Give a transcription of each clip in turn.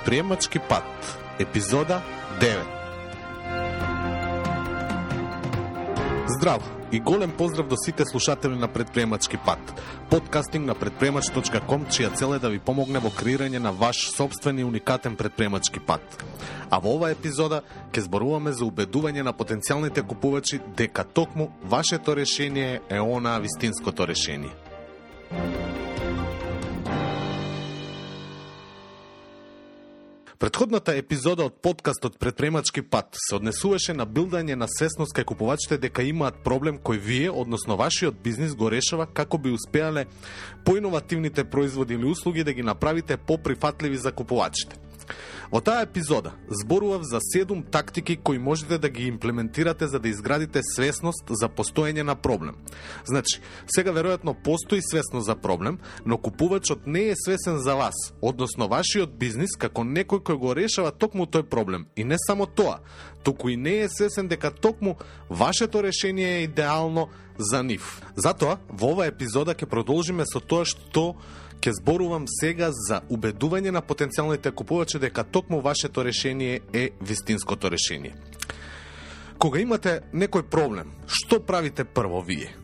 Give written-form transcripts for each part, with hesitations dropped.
Предприемачки пат, епизода 9. Здраво и голем поздрав до сите слушатели на Предприемачки пат, подкастинг на предприемач.com, чија цел е да ви помогне во креирање на ваш собствен и уникатен предприемачки пат. А во оваа епизода ќе зборуваме за убедување на потенцијалните купувачи дека токму вашето решение е онаа вистинското решение. Претходната епизода од подкастот Предприемачки пат се однесуваше на билдање на свесност кај купувачите дека имаат проблем кој вие, односно вашиот бизнис, го решава како би успеале поиновативните производи или услуги да ги направите поприфатливи за купувачите. Во таа епизода зборував за 7 тактики кои можете да ги имплементирате за да изградите свесност за постоење на проблем. Значи, сега веројатно постои свесност за проблем, но купувачот не е свесен за вас, односно вашиот бизнис како некој кој го решава токму тој проблем. И не само тоа, туку и не е свесен дека токму вашето решение е идеално за нив. Затоа, во оваа епизода ќе продолжиме со тоа што ќе зборувам сега за убедување на потенцијалните купувачи дека токму вашето решение е вистинското решение. Кога имате некој проблем, што правите прво вие?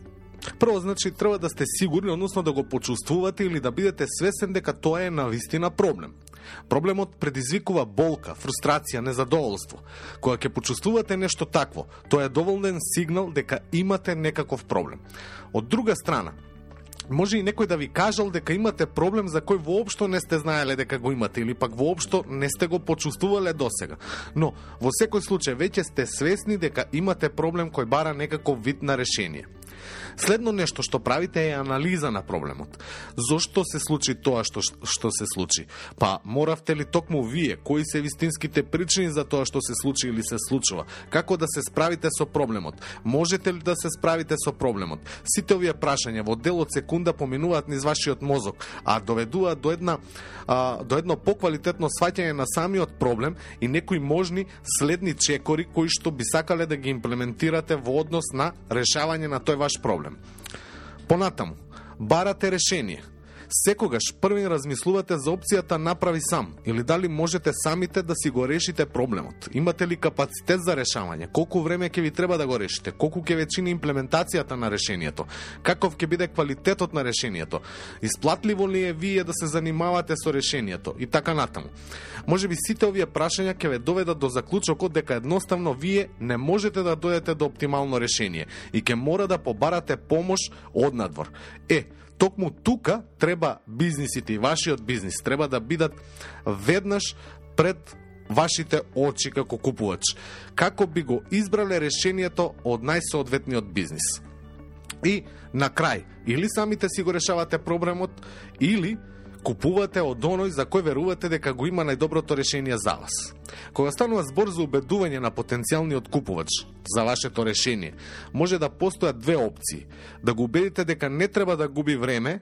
Прво, значи, треба да сте сигурни, односно да го почувствувате или да бидете свесен дека тоа е навистина проблем. Проблемот предизвикува болка, фрустрација, незадоволство. Кога ќе почувствувате нешто такво, тоа е доволен сигнал дека имате некаков проблем. Од друга страна, може и некој да ви кажал дека имате проблем за кој воопшто не сте знаеле дека го имате или пак воопшто не сте го почувствувале досега. Но во секој случај веќе сте свесни дека имате проблем кој бара некаков вид на решение. Следно нешто што правите е анализа на проблемот. Зошто се случи тоа што се случи? Па моравте ли токму вие? Кои се вистинските причини за тоа што се случи или се случува? Како да се справите со проблемот? Можете ли да се справите со проблемот? Сите овие прашања во дел од секунда поминуваат низ вашиот мозок, а доведуваат до едно поквалитетно сваќање на самиот проблем и некои можни следни чекори кои што би сакале да ги имплементирате во однос на решавање на тој ваш проблем. Понатаму, барате решение. Секогаш првин размислувате за опцијата направи сам или дали можете самите да си го решите проблемот. Имате ли капацитет за решавање? Колку време ќе ви треба да го решите? Колку ќе ве чини имплементацијата на решението? Каков ќе биде квалитетот на решението? Исплатливо ли е вие да се занимавате со решението? И така натаму. Можеби сите овие прашања ќе ве доведат до заклучокот дека едноставно вие не можете да дојдете до оптимално решение и ќе мора да побарате помош однадвор. Токму тука треба бизнисите и вашиот бизнис треба да бидат веднаш пред вашите очи како купувач, како би го избрале решението од најсоодветниот бизнис. И на крај, или самите си го решавате проблемот, или купувате од оној за кој верувате дека го има најдоброто решение за вас. Кога станува збор за убедување на потенцијалниот купувач за вашето решение, може да постојат две опции. Да го убедите дека не треба да губи време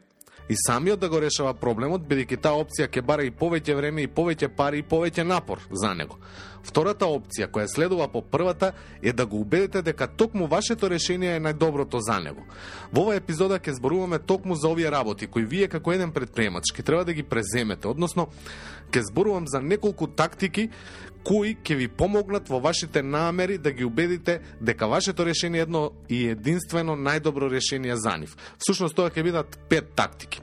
и самиот да го решава проблемот, бидејќи таа опција ќе бара и повеќе време, и повеќе пари, и повеќе напор за него. Втората опција, која следува по првата, е да го убедите дека токму вашето решение е најдоброто за него. Во оваа епизода ќе зборуваме токму за овие работи, кои вие како еден предприемач ќе треба да ги преземете, односно ќе зборувам за неколку тактики кои ќе ви помогнат во вашите намери да ги убедите дека вашето решение е едно и единствено најдобро решение за нив. Всушност тоа ќе бидат 5 тактики.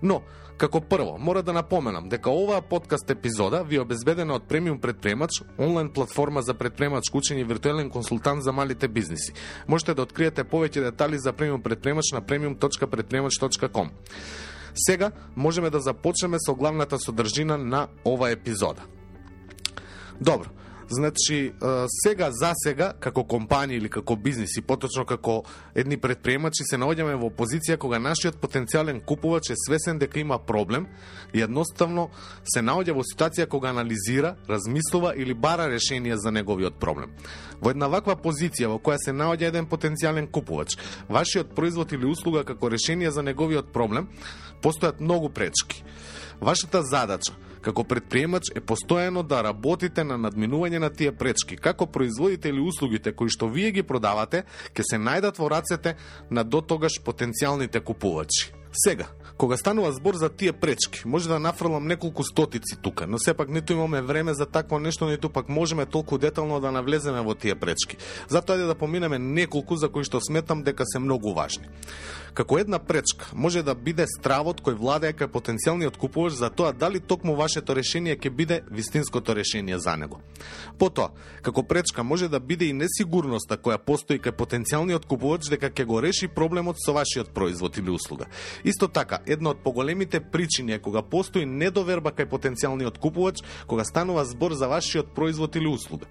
Но како прво, мора да напоменам дека оваа подкаст епизода ви е обезбедена од Премиум Предприемач, онлайн платформа за предприемачко учење и виртуелен консултант за малите бизниси. Можете да откриете повеќе детали за Премиум Предприемач на premium.предприемач.com. Сега можеме да започнеме со главната содржина на оваа епизода. Добро, значи сега како компанија или како бизнис и поточно како едни предприемачи се наоѓаме во позиција кога нашиот потенцијален купувач е свесен дека има проблем и едноставно се наоѓа во ситуација кога анализира, размислува или бара решение за неговиот проблем. Во една ваква позиција во која се наоѓа еден потенцијален купувач, вашиот производ или услуга како решение за неговиот проблем, постојат многу пречки. Вашата задача како предприемач е постојано да работите на надминување на тие пречки, како производите или услугите кои што вие ги продавате ќе се најдат во рацете на дотогаш потенцијалните купувачи. Сега, кога станува збор за тие пречки, може да нафрлам неколку стотици тука, но сепак ниту имаме време за такво нешто, ниту пак можеме толку детално да навлеземе во тие пречки. Затоа ајде да поминеме неколку за кои што сметам дека се многу важни. Како една пречка може да биде стравот кој владее кај потенцијалниот купувач за тоа дали токму вашето решение ќе биде вистинското решение за него. Потоа, како пречка може да биде и несигурноста која постои кај потенцијалниот купувач дека ќе го реши проблемот со вашиот производ или услуга. Исто така, една од поголемите причини е кога постои недоверба кај потенцијалниот купувач кога станува збор за вашиот производ или услуга.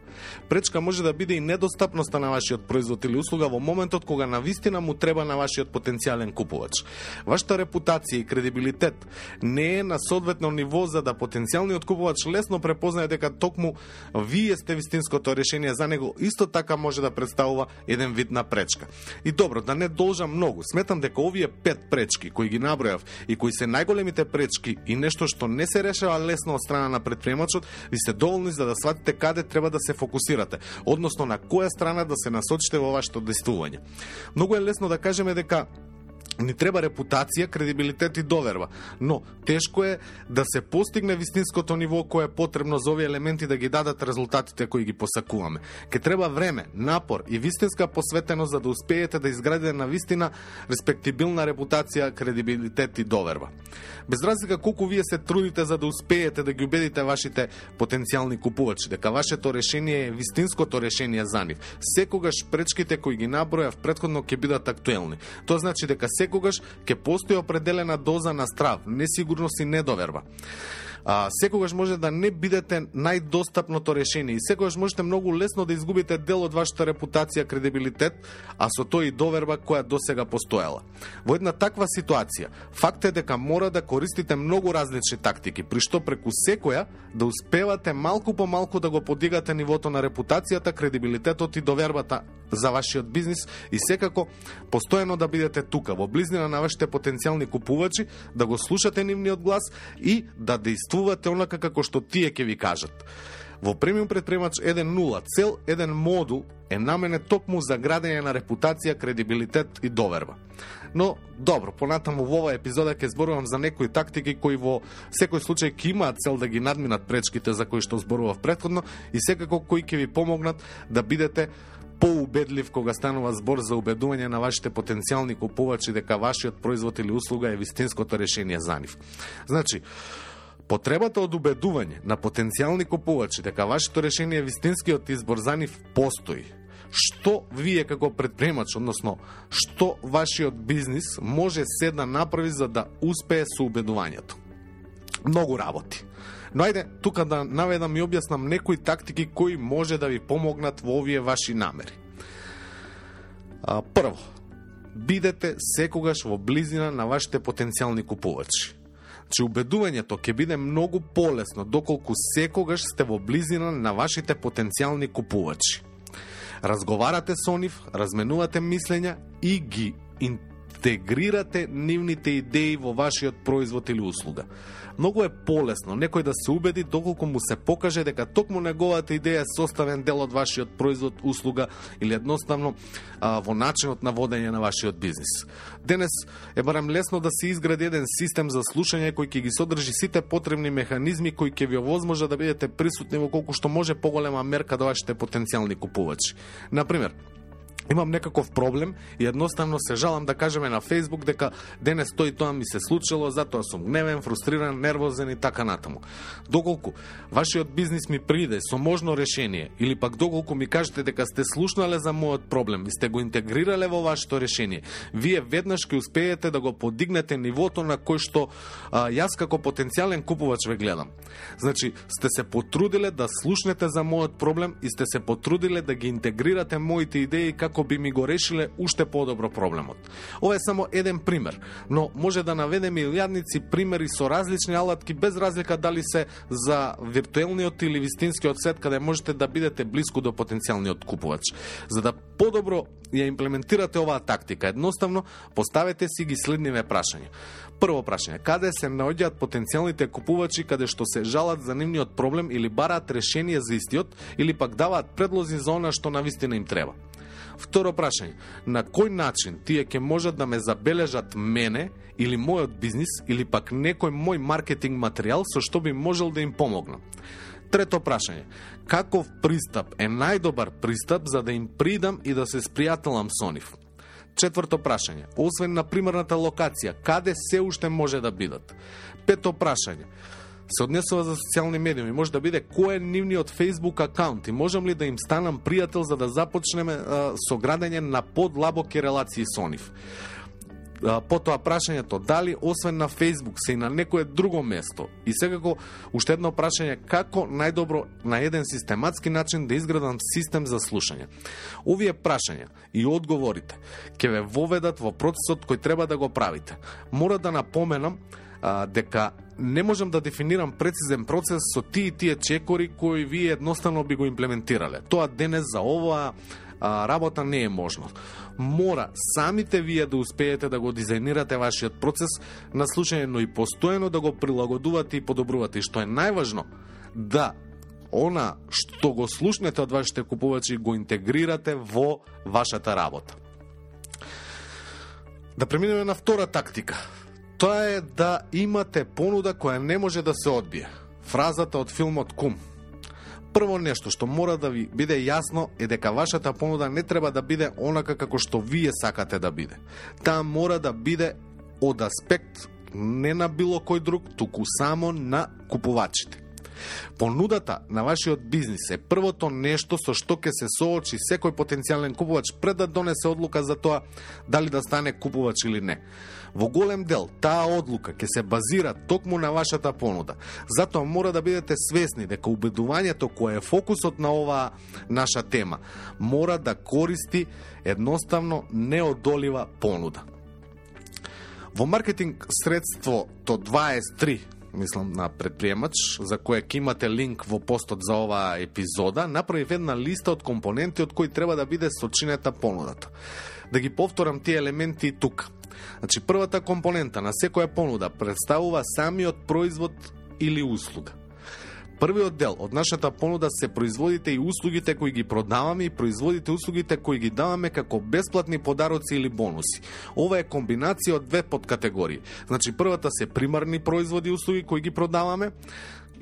Пречка може да биде и недостапноста на вашиот производ или услуга во моментот кога навистина му треба на вашиот потенцијален купувач. Вашата репутација и кредибилитет не е на соодветно ниво за да потенцијалниот купувач лесно препознае дека токму вие сте вистинското решение за него, исто така може да представува еден вид на пречка. И добро, да не должам многу, сметам дека овие 5 пречки кои ги набројав и кои се најголемите пречки и нешто што не се решава лесно од страна на претприемачот, ви сте доволни за да сватите каде треба да се фокусирате, односно на која страна да се насочите во вашето действување. Многу е лесно да кажеме дека ни треба репутација, кредибилитет и доверба, но тешко е да се постигне вистинското ниво кое е потребно за овие елементи да ги дадат резултатите кои ги посакуваме. Ке треба време, напор и вистинска посветеност за да успеете да изградите на вистина респектибилна репутација, кредибилитет и доверба. Без разлика колку вие се трудите за да успеете да ги убедите вашите потенцијални купувачи дека вашето решение е вистинското решение за нив, секогаш пречките кои ги набројав претходно ќе бидат актуелни. Тоа значи дека секогаш ќе постои определена доза на страв, несигурност и недоверба. Секогаш може да не бидете најдостапното решение и секогаш можете многу лесно да изгубите дел од вашата репутација, кредибилитет, а со тоа и доверба која досега постоела. Во една таква ситуација, факт е дека мора да користите многу различни тактики, при што преку секоја да успевате малку по малку да го подигате нивото на репутацијата, кредибилитетот и довербата за вашиот бизнис и секако постојано да бидете тука, во близнина на вашите потенцијални купувачи, да го слушате нивниот глас и да действувате онака како што тие ќе ви кажат. Во Премиум Предприемач 1.0 цел еден модул е наменет токму за градење на репутација, кредибилитет и доверба. Но, добро, понатаму во оваа епизода ќе зборувам за некои тактики кои во секој случај ќе имаат цел да ги надминат пречките за кои што зборував претходно и секако кои ќе ви помогнат да бидете поубедлив кога станува збор за убедување на вашите потенцијални купувачи дека вашиот производ или услуга е вистинското решение за нив. Значи, потребата од убедување на потенцијални купувачи дека вашето решение е вистинскиот избор за нив постои. Што вие како предприемач, односно што вашиот бизнис може се да направи за да успее со убедувањето? Многу работи. Но ајде, тука да наведам и објаснам некои тактики кои може да ви помогнат во овие ваши намери. Прво, бидете секогаш во близина на вашите потенцијални купувачи. Че убедувањето ќе биде многу полесно доколку секогаш сте во близина на вашите потенцијални купувачи. Разговарате со нив, разменувате мислења и ги интегрирате нивните идеи во вашиот производ или услуга. Многу е полесно некој да се убеди доколку му се покаже дека токму неговата идеја е составен дел од вашиот производ, услуга или едноставно во начинот на водење на вашиот бизнис. Денес е барем лесно да се изгради еден систем за слушање кој ќе ги содржи сите потребни механизми кои ќе ви овозможат да бидете присутни во колку што може поголема мерка до вашите потенцијални купувачи. Например, имам некаков проблем и едноставно се жалам да кажеме на Facebook дека денес тој и тоа ми се случило, затоа сум гневен, фрустриран, нервозен и така натаму. Доколку вашиот бизнис ми приде со можно решение или пак доколку ми кажете дека сте слушнале за мојот проблем и сте го интегрирале во вашето решение, вие веднаш ќе успеете да го подигнете нивото на кој што јас како потенцијален купувач ве гледам. Значи, сте се потрудиле да слушнете за мојот проблем и сте се потрудиле да ги интегрирате моите идеи како би ми го решиле уште подобро проблемот. Ова е само еден пример, но може да наведеме илјадници примери со различни алатки без разлика дали се за виртуелниот или вистинскиот свет каде можете да бидете блиску до потенцијалниот купувач. За да подобро ја имплементирате оваа тактика, едноставно поставете си ги следниве прашања. Прво прашање: каде се наоѓаат потенцијалните купувачи каде што се жалат за нивниот проблем или бараат решение за истиот или пак даваат предлози за она што навистина им треба? Второ прашање, на кој начин тие ќе можат да ме забележат мене или мојот бизнис или пак некој мој маркетинг материјал со што би можел да им помогнам? Трето прашање, каков пристап е најдобар пристап за да им придам и да се спријателам со нив? Четврто прашање, освен на примерната локација, каде се уште може да бидат? Пето прашање, се однесува за социјални медиуми, може да биде кој е нивниот Facebook акаунт и можам ли да им станам пријател за да започнеме со градење на подлабоки релации со нив? Потоа прашањето, дали освен на Facebook се и на некое друго место? И секако, уште едно прашање, како најдобро на еден систематски начин да изградам систем за слушање? Овие прашања и одговорите ќе ве воведат во процесот кој треба да го правите. Мора да напоменам дека не можам да дефинирам прецизен процес со тие чекори кои вие едноставно би го имплементирале. Тоа денес за оваа работа не е можно. Мора самите вие да успеете да го дизајнирате вашиот процес на слушање, но и постојано да го прилагодувате и подобрувате. И што е најважно, да она што го слушнете од вашите купувачи го интегрирате во вашата работа. Да преминеме на втора тактика. Тоа е да имате понуда која не може да се одбие. Фразата од филмот Кум. Прво нешто што мора да ви биде јасно е дека вашата понуда не треба да биде онака како што вие сакате да биде. Таа мора да биде од аспект не на било кој друг, туку само на купувачите. Понудата на вашиот бизнис е првото нешто со што ќе се соочи секој потенцијален купувач пред да донесе одлука за тоа дали да стане купувач или не. Во голем дел, таа одлука ќе се базира токму на вашата понуда. Затоа мора да бидете свесни дека убедувањето кое е фокусот на оваа наша тема мора да користи едноставно неодолива понуда. Во маркетинг средството 23, мислам на предприемач, за кое ќе имате линк во постот за оваа епизода, направив една листа од компоненти од кои треба да биде сочинета понудата. Да ги повторам тие елементи и тука. Значи, првата компонента на секоја понуда представува самиот производ или услуга. Првиот дел од нашата понуда се производите и услугите кои ги продаваме и производите и услугите кои ги даваме како бесплатни подароци или бонуси. Ова е комбинација од две подкатегории. Значи, првата се примарни производи и услуги кои ги продаваме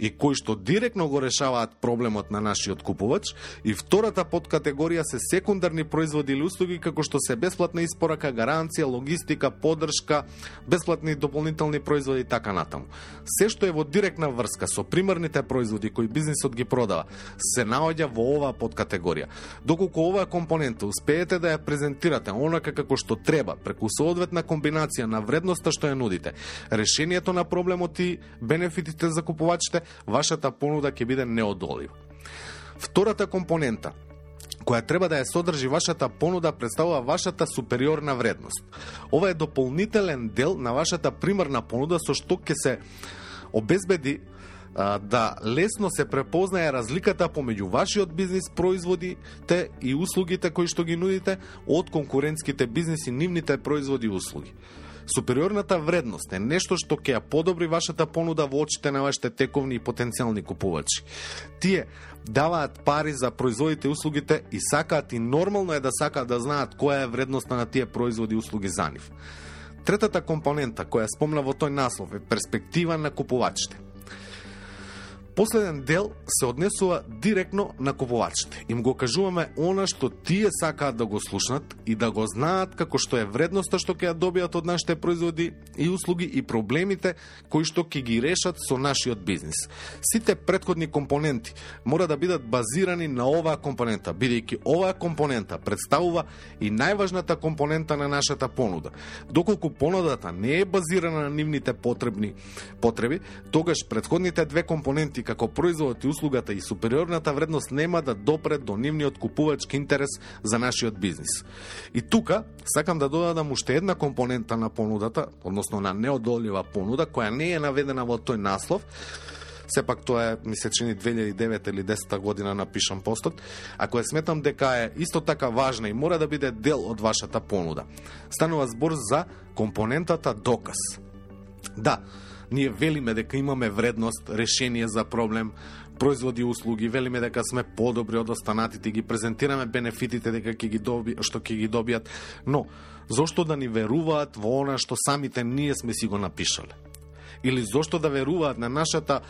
и кои што директно го решаваат проблемот на нашиот купувач, и втората подкатегорија се секундарни производи или услуги како што се бесплатна испорака, гаранција, логистика, поддршка, бесплатни дополнителни производи и така натаму. Се што е во директна врска со примарните производи кои бизнисот ги продава, се наоѓа во оваа подкатегорија. Доколку оваа компонента успеете да ја презентирате онака како што треба, преку соодветна комбинација на вредноста што ја нудите, решението на проблемот и бенефитите за купувачите, вашата понуда ќе биде неодолива. Втората компонента која треба да ја содржи вашата понуда представува вашата супериорна вредност. Ова е дополнителен дел на вашата примарна понуда со што ќе се обезбеди да лесно се препознае разликата помеѓу вашиот бизнис, производите и услугите кои што ги нудите од конкурентските бизниси, нивните производи и услуги. Супериорната вредност е нешто што ќе ја подобри вашата понуда во очите на вашите тековни и потенцијални купувачи. Тие даваат пари за производите и услугите и сакаат, и нормално е да сакаат да знаат која е вредноста на тие производи и услуги за нив. Третата компонента која спомна во тој наслов е перспектива на купувачите. Последен дел се однесува директно на купувачите. Им го кажуваме она што тие сакаат да го слушнат и да го знаат како што е вредноста што ќе ја добијат од нашите производи и услуги и проблемите кои што ќе ги решат со нашиот бизнис. Сите претходни компоненти мора да бидат базирани на оваа компонента, бидејќи оваа компонента представува и најважната компонента на нашата понуда. Доколку понудата не е базирана на нивните потреби, тогаш претходните две компоненти како производот и услугата и супериорната вредност нема да допре до нивниот купувачки интерес за нашиот бизнис. И тука сакам да додадам уште една компонента на понудата, односно на неодолива понуда, која не е наведена во тој наслов. Сепак тоа е, ми се чини 2009 или 10 година напишам постот, а која сметам дека е исто така важна и мора да биде дел од вашата понуда. Станува збор за компонентата доказ. Да, ние велиме дека имаме вредност, решение за проблем, производи и услуги, велиме дека сме подобри од останатите, ги презентираме бенефитите дека што ќе ги добијат, но зошто да ни веруваат во она што самите ние сме си го напишале? Или зошто да веруваат на нашата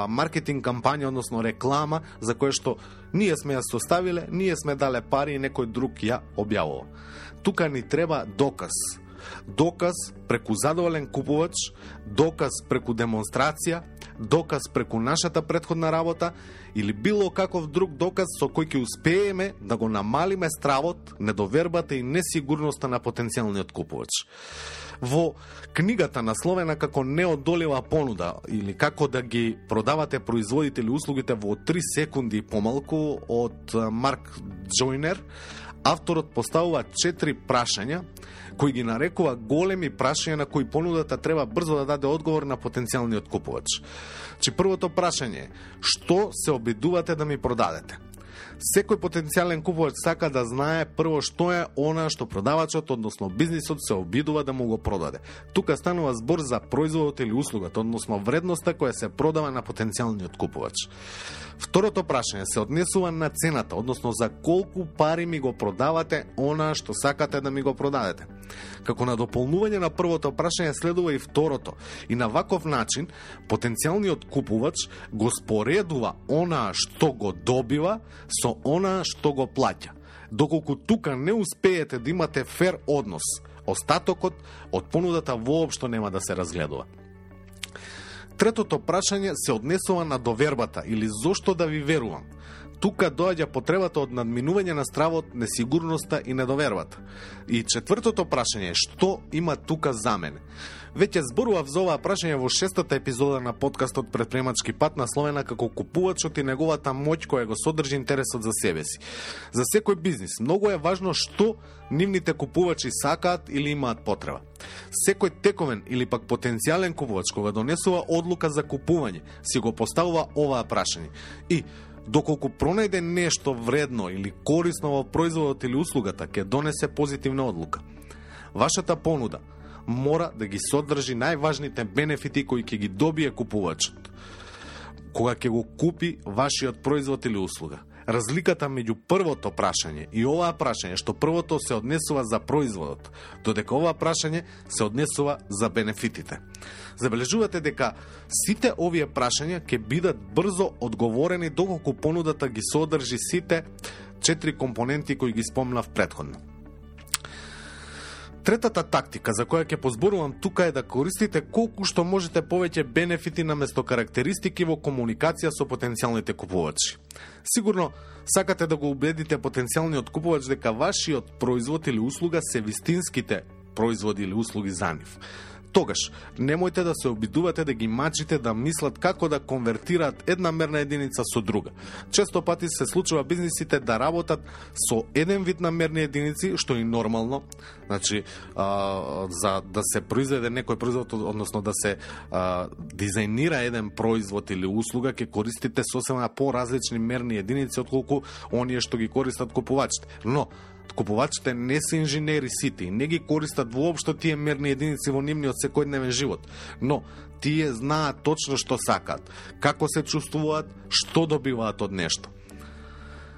маркетинг кампања, односно реклама, за која што ние сме ја составиле, ние сме дале пари и некој друг ја објавува. Тука ни треба доказ. Доказ преку задоволен купувач, доказ преку демонстрација, доказ преку нашата претходна работа или било каков друг доказ со кој ќе успееме да го намалиме стравот, недовербата и несигурноста на потенцијалниот купувач. Во книгата насловена како неодолива понуда или како да ги продавате производите или услугите во 3 секунди и помалку од Марк Джойнер, авторот поставува 4 прашања кои ги нарекува големи прашања на кои понудата треба брзо да даде одговор на потенцијалниот купувач. Првото прашање е: што се обидувате да ми продадете? Секој потенцијален купувач сака да знае прво што е она што продавачот, односно бизнисот, се обидува да му го продаде. Тука станува збор за производот или услугата, односно вредноста која се продава на потенцијалниот купувач. Второто прашање се однесува на цената, односно за колку пари ми го продавате она што сакате да ми го продадете. Како на дополнување на првото прашање следува и второто. И на ваков начин потенцијалниот купувач го споредува она што го добива со она што го плаќа. Доколку тука не успеете да имате фер однос, остатокот од понудата воопшто нема да се разгледува. Третото прашање се однесува на довербата или зошто да ви верувам. Тука доаѓа потребата од надминување на стравот, несигурноста и недовербата. И четвртото прашање е: што има тука за мене? Веќе зборував за оваа прашање во 6-та епизода на подкастот Предприемачки пат, насловена како купувачот и неговата моќ која го содржи интересот за себе си. За секој бизнис многу е важно што нивните купувачи сакаат или имаат потреба. Секој тековен или пак потенцијален купувач кога донесува одлука за купување си го поставува оваа прашање. И доколку пронајде нешто вредно или корисно во производот или услугата, ќе донесе позитивна одлука. Вашата понуда мора да ги содржи најважните бенефити кои ќе ги добие купувачот кога ќе го купи вашиот производ или услуга. Разликата меѓу првото прашање и оваа прашање, што првото се однесува за производот, додека оваа прашање се однесува за бенефитите. Забележувате дека сите овие прашања ќе бидат брзо одговорени доколку понудата ги содржи сите 4 компоненти кои ги спомнав претходно. Третата тактика за која ќе позборувам тука е да користите колку што можете повеќе бенефити наместо карактеристики во комуникација со потенцијалните купувачи. Сигурно сакате да го убедите потенцијалниот купувач дека вашиот производ или услуга се вистинските производи или услуги за нив. Тогаш, немојте да се обидувате да ги мачите да мислат како да конвертираат една мерна единица со друга. Често пати се случува бизнисите да работат со еден вид на мерни единици, што е нормално. Значи, за да се произведе некој производ, односно да се дизајнира еден производ или услуга, ќе користите сосема поразлични мерни единици отколку оние што ги користат купувачите. Но купувачите не се инженери сите и не ги користат воопшто тие мерни единици во нивниот секојдневен живот, но тие знаат точно што сакаат, како се чувствуваат, што добиваат од нешто.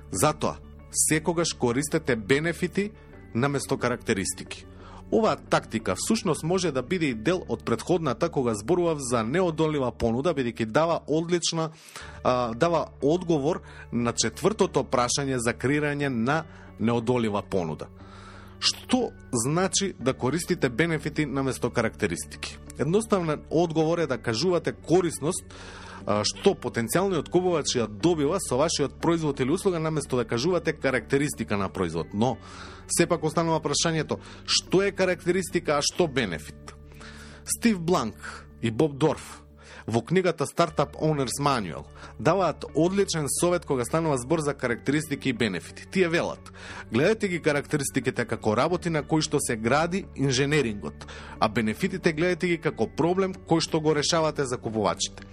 Затоа, секогаш користете бенефити наместо карактеристики. Оваа тактика всушност може да биде и дел од претходната кога зборував за неодолива понуда, бидејќи дава одговор на четвртото прашање за креирање на неодолива понуда. Што значи да користите бенефити наместо карактеристики? Едноставен одговор е да кажувате корисност што потенцијалниот купувач ја добива со вашиот производ или услуга наместо да кажувате карактеристика на производ. Но сепак останува прашањето: што е карактеристика, а што бенефит? Стив Бланк и Боб Дорф во книгата Startup Owners Manual даваат одличен совет кога станува збор за карактеристики и бенефити. Тие велат: гледате ги карактеристиките како работи на кои што се гради инженерингот, а бенефитите гледате ги како проблем кој што го решавате за купувачите.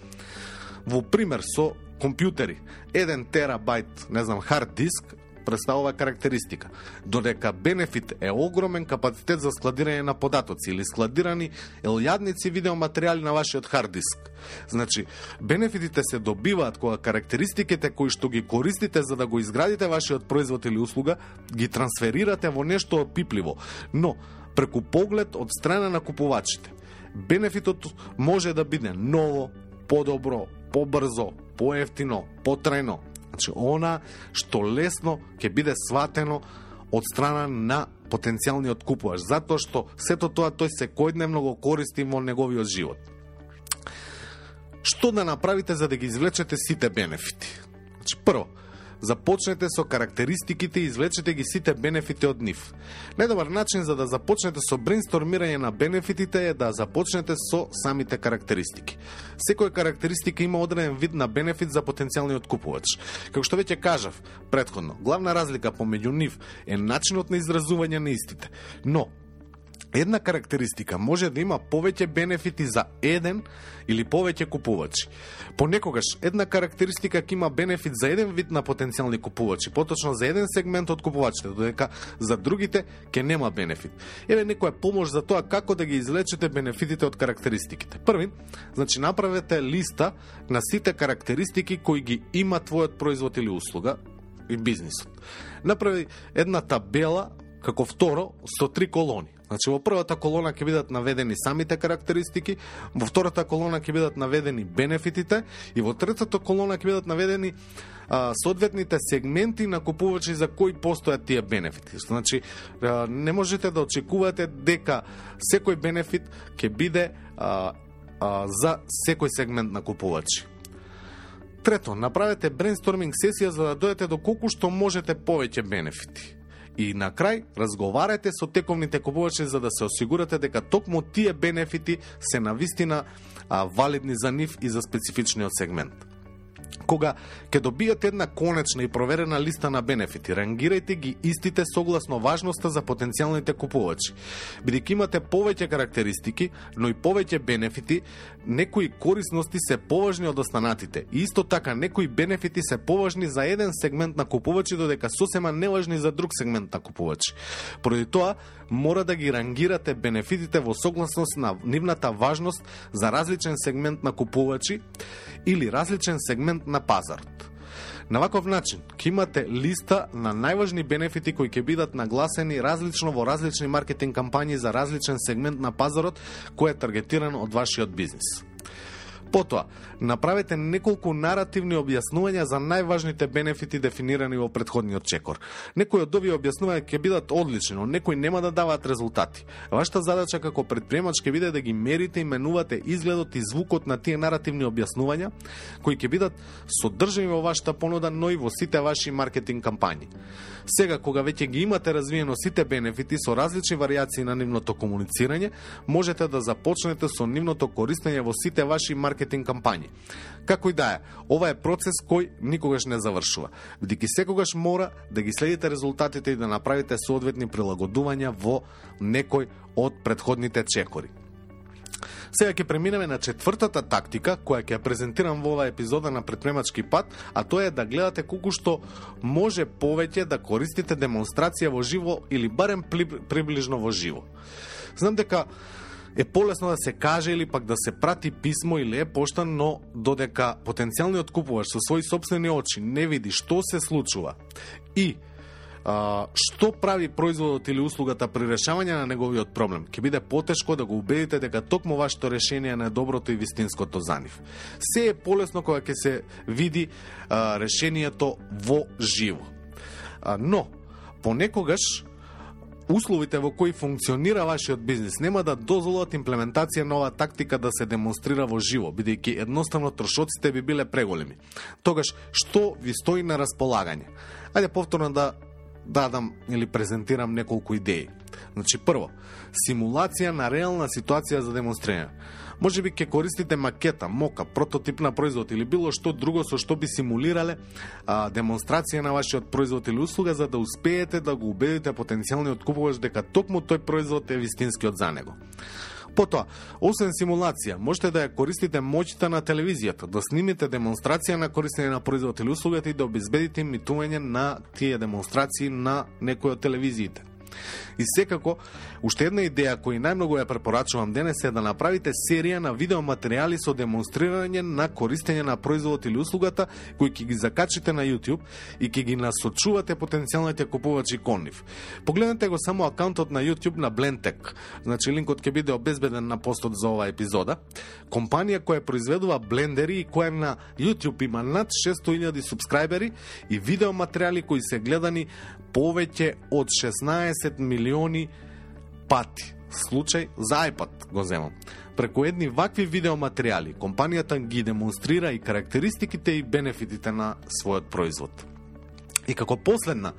Во пример со компјутери, 1 терабајт, хард диск представува карактеристика. Додека бенефит е огромен капацитет за складирање на податоци или складирани елјадници видеоматеријали на вашиот хард диск. Значи, бенефитите се добиваат кога карактеристиките кои што ги користите за да го изградите вашиот производ или услуга, ги трансферирате во нешто опипливо, но преку поглед од страна на купувачите. Бенефитот може да биде ново, подобро, побрзо, поевтино, потрајно. Значи, она што лесно ќе биде сватено од страна на потенцијалниот купувач, затоа што сето тоа тој секојдневно го користи во неговиот живот. Што да направите за да ги извлечете сите бенефити? Значи, прво, започнете со карактеристиките и извлечете ги сите бенефити од нив. Најдобар начин за да започнете со брейнстормирање на бенефитите е да започнете со самите карактеристики. Секоја карактеристика има одреден вид на бенефит за потенцијалниот купувач. Како што веќе кажав претходно, главна разлика помеѓу нив е начинот на изразување на истите. Но една карактеристика може да има повеќе бенефити за еден или повеќе купувачи. Понекогаш една карактеристика ќе има бенефит за еден вид на потенцијални купувачи, поточно за еден сегмент од купувачите, додека за другите ќе нема бенефит. Еве некоја помош за тоа како да ги извлечете бенефитите од карактеристиките. Први, значи направете листа на сите карактеристики кои ги има твојот производ или услуга и бизнисот. Направи една табела како второ со 3 колони. Значи, во првата колона ќе бидат наведени самите карактеристики, во втората колона ќе бидат наведени бенефитите и во третата колона ќе бидат наведени соодветните сегменти на купувачи за кои постојат тие бенефити. Значи, не можете да очекувате дека секој бенефит ќе биде за секој сегмент на купувачи. Трето, направете брейнсторминг сесија за да дојдете до колку што можете повеќе бенефити. И на крај, разговарате со тековните купувачи за да се осигурате дека токму тие бенефити се навистина валидни за нив и за специфичниот сегмент. Кога ќе добиете една конечна и проверена листа на бенефити, рангирајте ги истите согласно важноста за потенцијалните купувачи. Бидејќи имате повеќе карактеристики, но и повеќе бенефити, некои корисности се поважни од останатите. И исто така, некои бенефити се поважни за еден сегмент на купувачи, додека сосема неважни за друг сегмент на купувачи. Поради тоа, мора да ги рангирате бенефитите во согласност на нивната важност за различен сегмент на купувачи или различен сегмент на пазарот. На ваков начин, ќе имате листа на најважни бенефити кои ќе бидат нагласени различно во различни маркетинг кампањи за различен сегмент на пазарот кој е таргетиран од вашиот бизнис. Потоа, направете неколку наративни објаснувања за најважните бенефити дефинирани во претходниот чекор. Некои од овие објаснувања ќе бидат одлични, но некои нема да даваат резултати. Вашата задача како претприемач ќе биде да ги мерите и менувате изгледот и звукот на тие наративни објаснувања, кои ќе бидат содржани во вашата понуда, но и во сите ваши маркетинг кампањи. Сега, кога веќе ги имате развиено сите бенефити со различни варијации на нивното комуницирање, можете да започнете со нивното користење во сите ваши маркетинг кампањи. Како и да е, ова е процес кој никогаш не завршува, бидејќи секогаш мора да ги следите резултатите и да направите соодветни прилагодувања во некој од претходните чекори. Сега ќе преминеме на четвртата тактика, која ќе ја презентирам во оваа епизода на Претприемачки пат, а тоа е да гледате колку што може повеќе да користите демонстрација во живо или барем приближно во живо. Знам дека е полесно да се каже или пак да се прати писмо или е пошта, но додека потенцијалниот купувач со своји сопствени очи не види што се случува и што прави производот или услугата при решавање на неговиот проблем, ќе биде потешко да го убедите дека токму вашето решение е најдоброто и вистинското за нив. Се е полесно кога ќе се види решението во живо. Но, понекогаш, условите во кои функционира вашиот бизнис нема да дозволат имплементација на оваа тактика да се демонстрира во живо, бидејќи едноставно трошоците би биле преголеми. Тогаш, што ви стои на располагање? Ајде повторно да дадам или презентирам неколку идеи. Значи, прво, симулација на реална ситуација за демонстрирање. Може би ќе користите макета, мока, прототип на производ или било што друго со што би симулирале демонстрација на вашиот производ или услуга за да успеете да го убедите потенцијалниот купувач дека токму тој производ е вистинскиот за него. Потоа, освен симулација, можете да ја користите моќта на телевизијата, да снимите демонстрација на користење на производ или услугата и да обезбедите имитување на тие демонстрации на некој од телевизиите. И секако, уште една идеја која најмногу ја препорачувам денес е да направите серија на видеоматеријали со демонстрирање на користење на производот или услугата кои ќе ги закачите на YouTube и ќе ги насочувате потенцијалните купувачи кон нив. Погледнете го само акаунтот на YouTube на Blendtec, значи линкот ќе биде обезбеден на постот за оваа епизода. Компанија која произведува блендери и која на YouTube има над 600.000 субскрајбери и видеоматеријали кои се гледани повеќе од 16 милиони пати. Случај за iPad го земам. Преку едни вакви видеоматеријали, компанијата ги демонстрира и карактеристиките и бенефитите на својот производ. И како последна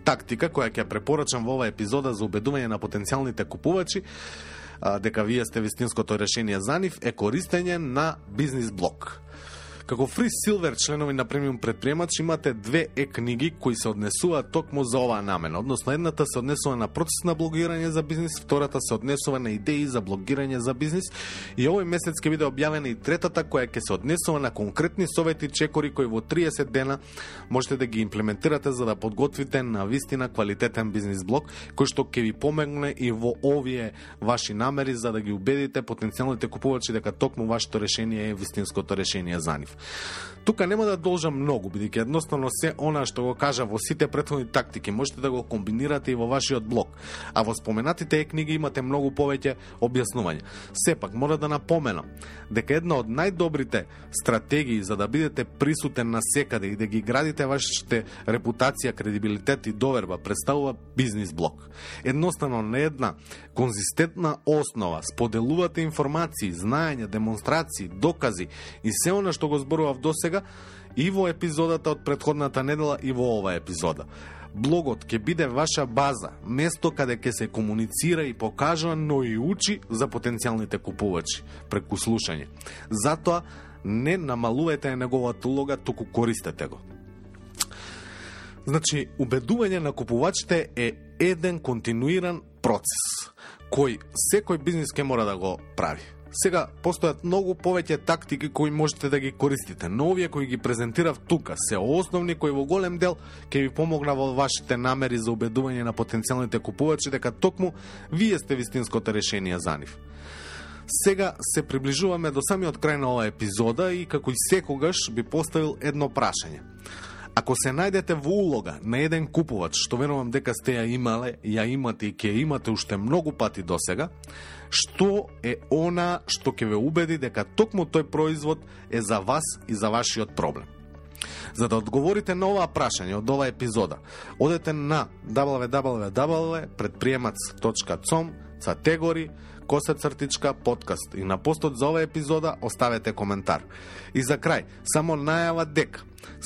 тактика, која ќе препорачам во оваа епизода за убедување на потенцијалните купувачи, дека вие сте вистинското решение за нив, е користење на бизнис блог. Како Free Silver членови на премиум предприемач имате две книги кои се однесуваат токму за оваа намена. Односно, едната се однесува на процес на блогирање за бизнис, втората се однесува на идеи за блогирање за бизнис и овој месец ќе биде објавена и третата која ќе се однесува на конкретни совети чекори кои во 30 дена можете да ги имплементирате за да подготвите на вистина квалитетен бизнис блог кој што ќе ви помогне и во овие ваши намери за да ги убедите потенцијалните купувачи дека токму вашето решение е вистинското решение за нив. Тука нема да должам многу, бидејќи едноставно се она што го кажа во сите претходни тактики можете да го комбинирате и во вашиот блог, а во споменатите книги имате многу повеќе објаснување. Сепак, мора да напоменам дека една од најдобрите стратегии за да бидете присутен на секаде и да ги градите вашите репутација, кредибилитет и доверба представува бизнис блог. Едноставно на една конзистентна основа споделувате информации, знаења, демонстрации, докази и се она што го зборував досега и во епизодата од претходната недела и во оваа епизода. Блогот ќе биде ваша база, место каде ќе се комуницира и покажува, но и учи за потенцијалните купувачи преку слушање. Затоа не намалувате неговата улога, туку користете го. Значи, убедување на купувачите е еден континуиран процес кој секој бизнис ќе мора да го прави. Сега, постојат многу повеќе тактики кои можете да ги користите, но овие кои ги презентирав тука се основни кои во голем дел ќе ви помогна во вашите намери за убедување на потенцијалните купувачи дека токму вие сте вистинското решение за нив. Сега се приближуваме до самиот крај на оваа епизода и како и секогаш би поставил едно прашање. Ако се најдете во улога на еден купувач, што верувам дека сте ја имале, ја имате и ќе имате уште многу пати досега, што е она што ќе ве убеди дека токму тој производ е за вас и за вашиот проблем? За да одговорите на оваа прашање од оваа епизода, одете на www.predpriemac.com/podcast и на постот за оваа епизода оставете коментар. И за крај, само најава дека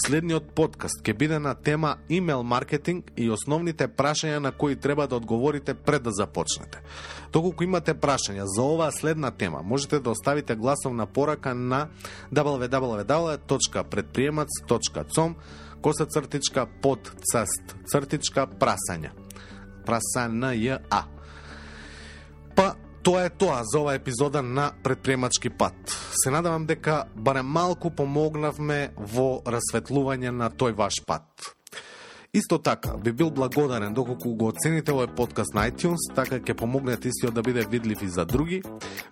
следниот подкаст ќе биде на тема имейл маркетинг и основните прашања на кои треба да одговорите пред да започнете. Доколку имате прашања за оваа следна тема, можете да оставите гласовна порака на www.predpriemac.com/podcast/prasања. Прасања. Па, тоа е тоа за оваа епизода на Предприемачки пат. Се надевам дека барем малку помогнавме во расветлување на тој ваш пат. Исто така, би бил благодарен доколку го оцените овој подкаст на iTunes, така ќе помогнете истиот да биде видлив и за други.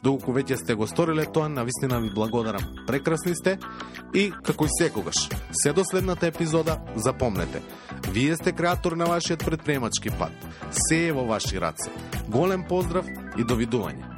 Доколку веќе сте го сториле тоа, навистина ви благодарам. Прекрасни сте и, како и секогаш, се до следната епизода, запомнете, вие сте креатор на вашиот предприемачки пат. Се е во ваши раце. Голем поздрав и довидување.